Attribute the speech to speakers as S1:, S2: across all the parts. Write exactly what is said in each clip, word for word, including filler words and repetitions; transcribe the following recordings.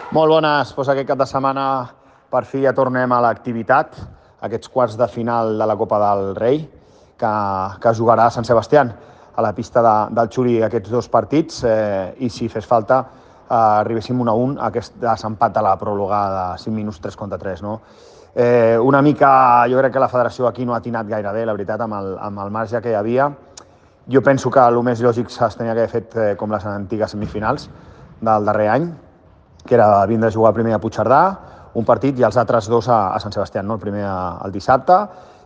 S1: Molt bones, doncs aquest cap de setmana per fi ja tornem a l'activitat, aquests quarts de final de la Copa del Rei, que, que jugarà a Sant Sebastián, a la pista de, del Xuri, aquests dos partits, eh, i si fes falta eh, arribéssim un a un a aquest desempat de la pròrroga de cinc minuts tres contra tres. No? Eh, una mica, jo crec que la federació aquí no ha atinat gaire bé, la veritat, amb el, amb el marge que hi havia. Jo penso que el més lògic es tenia que haver fet eh, com les antigues semifinals del darrer any, que era vindre a jugar primer a Puigcerdà, un partit, i els altres dos a, a Sant Sebastián, no? El primer a, el dissabte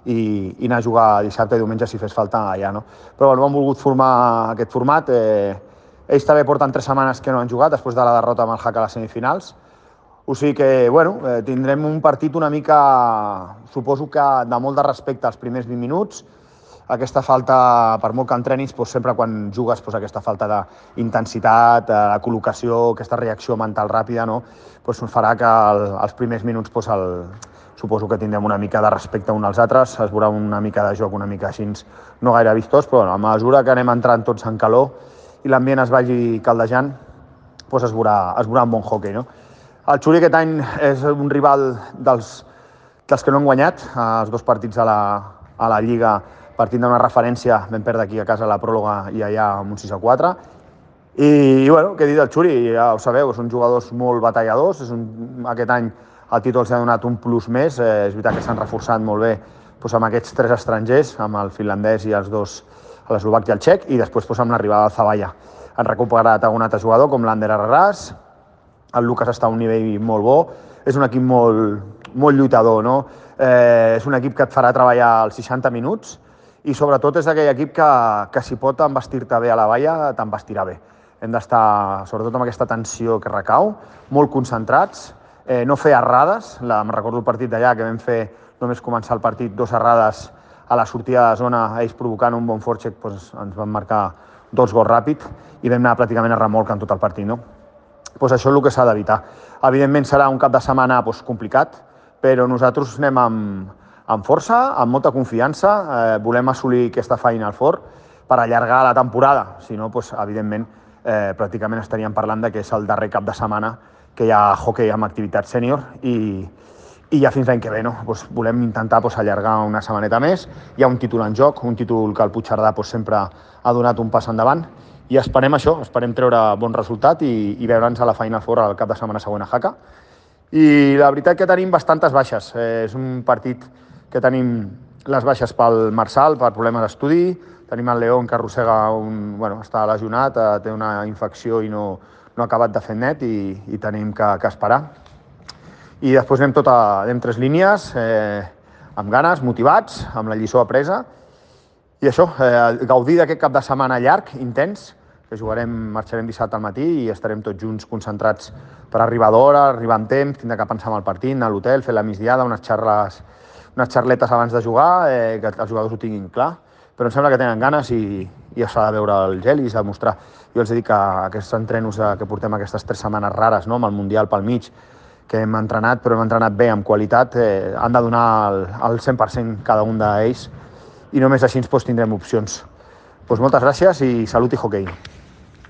S1: i, i anar a jugar dissabte i diumenge si fes falta allà. No? Però bueno, han volgut formar aquest format. Eh, ells també porten tres setmanes que no han jugat després de la derrota amb el Jaca a les semifinals. O sigui que bueno, eh, tindrem un partit una mica, suposo que de molt de respecte als primers vint minuts. Aquesta falta, per molt que entrenis, doncs sempre quan jugues doncs aquesta falta d'intensitat, la col·locació, aquesta reacció mental ràpida, no? Doncs farà que el, els primers minuts doncs el, suposo que tindrem una mica de respecte uns als altres, es veurà una mica de joc una mica així, no gaire vistós, però bueno, a mesura que anem entrant tots en calor i l'ambient es vagi caldejant, doncs es veurà, es veurà un bon hoquei. No? El Xuri aquest any és un rival dels, dels que no han guanyat, els dos partits a la, a la Lliga, partint d'una referència, vam perdre aquí a casa la pròrroga i allà amb un sis a quatre. I, i bueno, què dir del Xuri? Ja ho sabeu, són jugadors molt batalladors. És un, aquest any el títol s'ha donat un plus més. Eh, és veritat que s'han reforçat molt bé doncs, amb aquests tres estrangers, amb el finlandès i els dos, l'eslovac i el txec, i després doncs, amb l'arribada del Zavalla. Han recuperat algun altre jugador, com l'Ander Arraràs. El Lucas està a un nivell molt bo. És un equip molt, molt lluitador, no? Eh, és un equip que et farà treballar els seixanta minuts, i sobretot és aquell equip que, que si pot envestir-te bé a la valla, t'envestirà bé. Hem d'estar, sobretot amb aquesta tensió que recau, molt concentrats, eh, no fer errades. La, em recordo el partit d'allà, que vam fer, només començar el partit, dos errades a la sortida de zona, ells provocant un bon forecheck, doncs ens van marcar dos gols ràpid i vam anar pràcticament a remolc en tot el partit. No? Doncs això és el que s'ha d'evitar. Evidentment serà un cap de setmana doncs, complicat, però nosaltres anem amb, amb força, amb molta confiança, eh, volem assolir aquesta Final Four per allargar la temporada, si no, doncs, evidentment, eh, pràcticament estaríem parlant de que és el darrer cap de setmana que hi ha hoquei amb activitat sènior i, i ja fins l'any que ve, no? Doncs volem intentar doncs, allargar una setmaneta més, hi ha un títol en joc, un títol que el Puigcerdà doncs, sempre ha donat un pas endavant i esperem això, esperem treure bon resultat i, i veure'ns a la Final Four al cap de setmana següent a Jaca. I la veritat que tenim bastantes baixes, eh, és un partit que tenim les baixes pel Marçal, per problemes d'estudi, tenim el León que arrossega, un, bueno, està lesionat, eh, té una infecció i no, no ha acabat de fer net i, i tenim que, que esperar. I després anem, tota, anem tres línies, eh, amb ganes, motivats, amb la lliçó apresa, i això, eh, gaudir d'aquest cap de setmana llarg, intens, que jugarem, marxarem dissabte al matí i estarem tots junts concentrats per arribar d'hora, arribar amb temps, tindre que pensar en el partit, anar a l'hotel, fer la migdiada, unes xarles unes xarletes abans de jugar, eh, que els jugadors ho tinguin clar, però em sembla que tenen ganes i, i s'ha de veure el gel i s'ha de mostrar. Jo els dic que aquests entrenos que portem aquestes tres setmanes rares, no? Amb el Mundial pel mig, que hem entrenat, però hem entrenat bé, amb qualitat, eh, han de donar el, el cent per cent cada un d'ells i només així doncs, tindrem opcions. Doncs moltes gràcies i salut i hoquei.